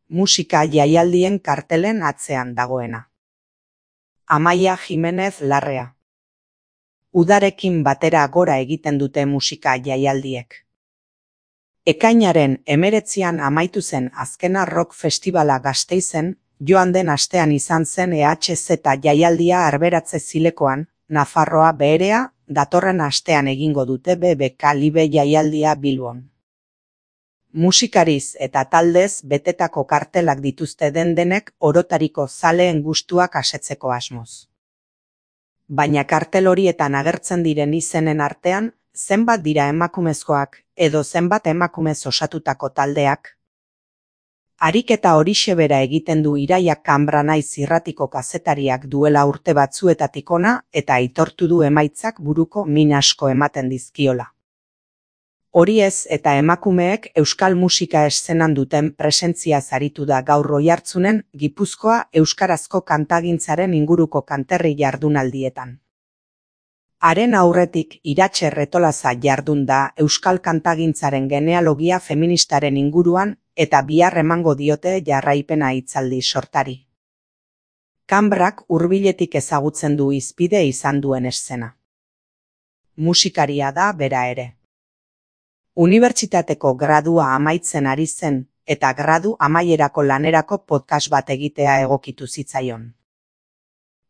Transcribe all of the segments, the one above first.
musika jaialdien kartelen atzean dagoena. Amaia Jimenez Larrea. Udarekin batera gora egiten dute musika jaialdiek. Ekainaren 19an amaitu zen azkena rock festivala Gasteizen, joan den astean izan zen EHZ jaialdia Arberatze Zilekoan, Nafarroa Beherea, datorren astean egingo dute BBK Live jaialdia Bilbon. Musikariz eta taldez betetako kartelak dituzte denek orotariko zaleen gustuak asetzeko asmoz. Baina kartel horietan agertzen diren izenen artean, zenbat dira emakumezkoak edo zenbat emakumez osatutako taldeak? Ariketa horixe bera egiten du Iraia Kanbra naiz irratiko kazetariak duela urte batzuetatik hona eta aitortu du emaitzak buruko min asko ematen dizkiola. Hori ez eta emakumeek euskal musika eszenan duten presentzia zaritu da gaur Oiartzunen Gipuzkoa euskarazko kantagintzaren inguruko kanterri jardunaldietan. Haren aurretik Iratxe Retolaza jardun da euskal kantagintzaren genealogia feministaren inguruan eta bihar emango diote jarraipena hitzaldi sortari. Kanbrak hurbiletik ezagutzen du hizpide izan duen eszena. Musikaria da bera ere. Unibertsitateko gradua amaitzen ari zen eta gradu amaierako lanerako podcast bat egitea egokitu zitzaion.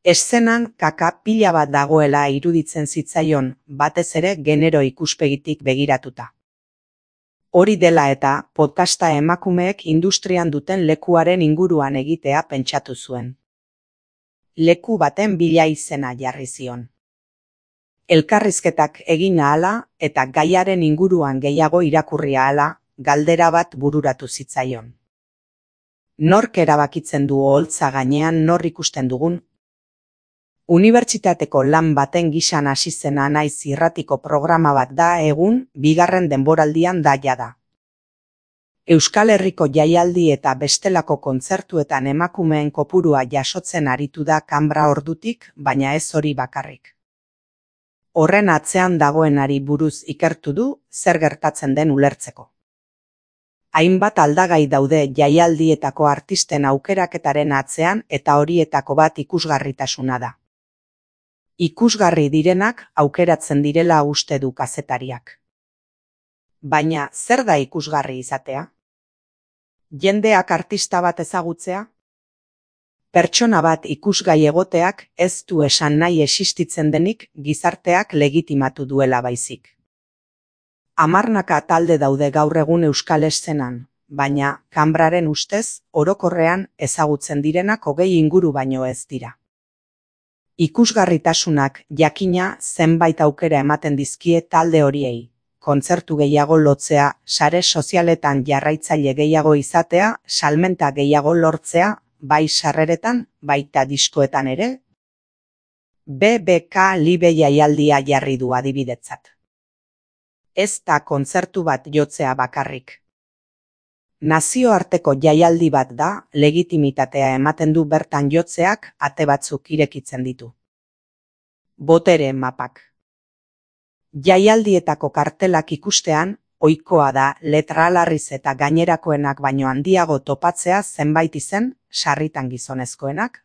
Eszenan kaka pila bat dagoela iruditzen zitzaion, batez ere genero ikuspegitik begiratuta. Hori dela eta podcasta emakumeek industrian duten lekuaren inguruan egitea pentsatu zuen. Leku baten bila izena jarri zion. Elkarrizketak egin ahala eta gaiaren inguruan gehiago irakurri ahala, galdera bat bururatu zitzaion. Nork erabakitzen du oholtza gainean nor ikusten dugun? Unibertsitateko lan baten gisan hasi zena naiz irratiko programa bat da egun, bigarren denboraldian da jada. Euskal Herriko jaialdi eta bestelako kontzertuetan emakumeen kopurua jasotzen aritu da Kanbra ordutik, baina ez hori bakarrik. Horren atzean dagoenari buruz ikertu du, zer gertatzen den ulertzeko. Hainbat aldagai daude jaialdietako artisten aukeraketaren atzean eta horietako bat ikusgarritasuna da. Ikusgarri direnak aukeratzen direla uste du kazetariak. Baina zer da ikusgarri izatea? Jendeak artista bat ezagutzea? Pertsona bat ikusgai egoteak ez du esan nahi existitzen denik gizarteak legitimatu duela baizik. Hamarnaka talde daude gaur egun euskal eszenan, baina Kanbraren ustez orokorrean ezagutzen direnak 20 inguru baino ez dira. Ikusgarritasunak jakina zenbait aukera ematen dizkie talde horiei. Kontzertu gehiago lotzea, sare sozialetan jarraitzaile gehiago izatea, salmenta gehiago lortzea, bai sarreretan, baita diskoetan ere. BBK Live jaialdia jarri du adibidetzat. Ez da kontzertu bat jotzea bakarrik. Nazioarteko jaialdi bat da, legitimitatea ematen du bertan jotzeak ate batzuk irekitzen ditu. Botere mapak. Jaialdietako kartelak ikustean, ohikoa da letra alarriz eta gainerakoenak baino handiago topatzea zenbait izen, sarritan gizonezkoenak.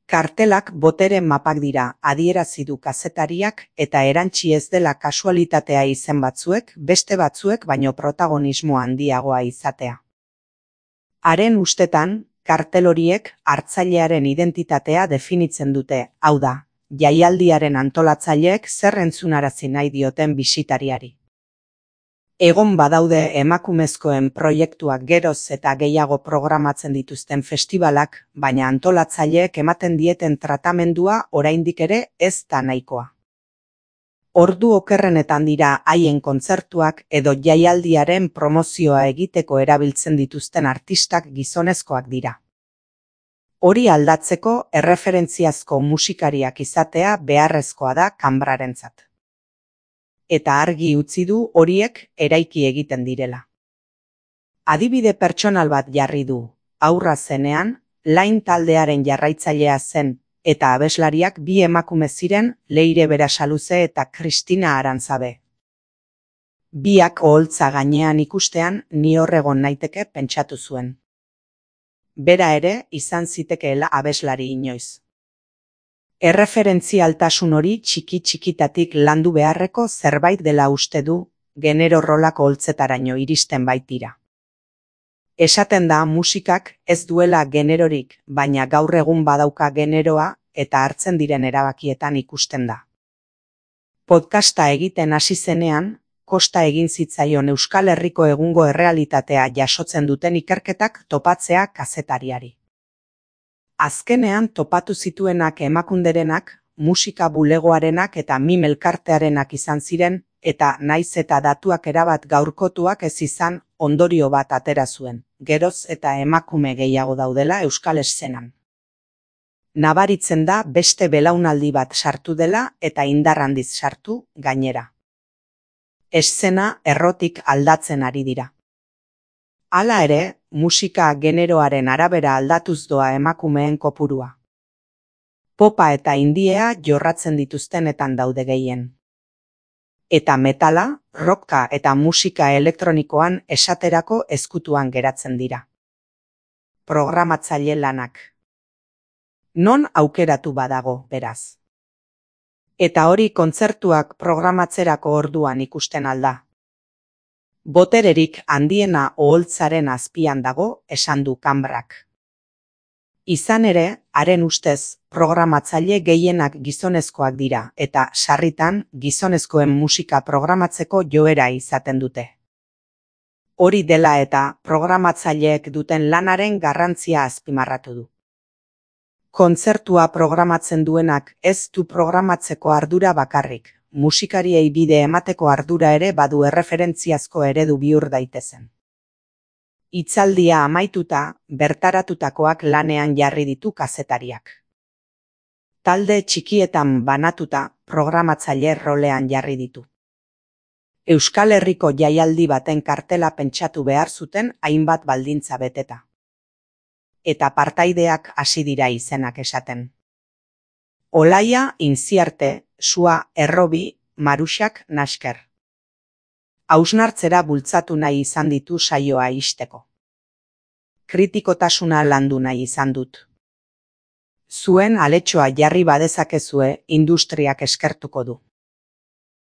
Kartelak botere mapak dira, adierazi du kazetariak eta erantsi ez dela kasualitatea izen batzuek, beste batzuek baino protagonismo handiagoa izatea. Haren ustetan, kartel horiek hartzailearen identitatea definitzen dute, hau da, jaialdiaren antolatzaileek zer entzunarazi nahi dioten bisitariari. Egon badaude emakumezkoen proiektuak geroz eta gehiago programatzen dituzten festibalak, baina antolatzaileek ematen dieten tratamendua oraindik ere ez da nahikoa. Ordu okerrenetan dira haien kontzertuak edo jaialdiaren promozioa egiteko erabiltzen dituzten artistak gizonezkoak dira. Hori aldatzeko erreferentziazko musikariak izatea beharrezkoa da Kanbrarentzat. Eta argi utzi du horiek eraiki egiten direla. Adibide pertsonal bat jarri du, haurra zenean, Lain taldearen jarraitzailea zen, eta abeslariak bi emakume ziren Leire Berasaluze eta Kristina Arantzabe. Biak oholtza gainean ikustean ni hor egon naiteke pentsatu zuen. bera ere izan zitekeela abeslari inoiz. Erreferentzialtasun hori txiki-txikitatik landu beharreko zerbait dela uste du, genero rolako holtzetaraino iristen baitira. Esaten da musikak ez duela generorik, baina gaur egun badauka generoa eta hartzen diren erabakietan ikusten da. Podcasta egiten hasi zenean, kosta egin zitzaion Euskal Herriko egungo errealitatea jasotzen duten ikerketak topatzea kazetariari. Azkenean topatu zituenak emakunderenak, musika bulegoarenak eta mim elkartearenak izan ziren, eta naiz eta datuak erabat gaurkotuak ez izan, ondorio bat atera zuen, geroz eta emakume gehiago daudela euskal eszenan. Nabaritzen da beste belaunaldi bat sartu dela eta indar handiz sartu, gainera. Eszena errotik aldatzen ari dira. Hala ere, musika generoaren arabera aldatuz doa emakumeen kopurua. Popa eta indiea jorratzen dituztenetan daude gehien. Eta metala, rocka eta musika elektronikoan esaterako ezkutuan geratzen dira. Programatzaile lanak. Non aukeratu badago, beraz. Eta hori kontzertuak programatzerako orduan ikusten alda. Botererik handiena oholtzaren azpian dago, esan du Kanbrak. Izan ere, haren ustez, programatzaile gehienak gizonezkoak dira eta sarritan gizonezkoen musika programatzeko joera izaten dute. Hori dela eta programatzaileek duten lanaren garrantzia azpimarratu du. Kontzertua programatzen duenak ez du programatzeko ardura bakarrik, musikariei bide emateko ardura ere badu erreferentziazko eredu bihur daitezen. Hitzaldia amaituta, bertaratutakoak lanean jarri ditu kazetariak. Talde txikietan banatuta, programatzaile rolean jarri ditu. Euskal Herriko jaialdi baten kartela pentsatu behar zuten hainbat baldintza beteta. Eta partaideak hasi dira izenak esaten. Olaia Inziarte, Sua Errobi, Maruxak Nasker. Hausnartzera bultzatu nahi izan ditu saioa ixteko. Kritikotasuna landu nahi izan dut. Zuen aletxoa jarri badezakezue industriak eskertuko du.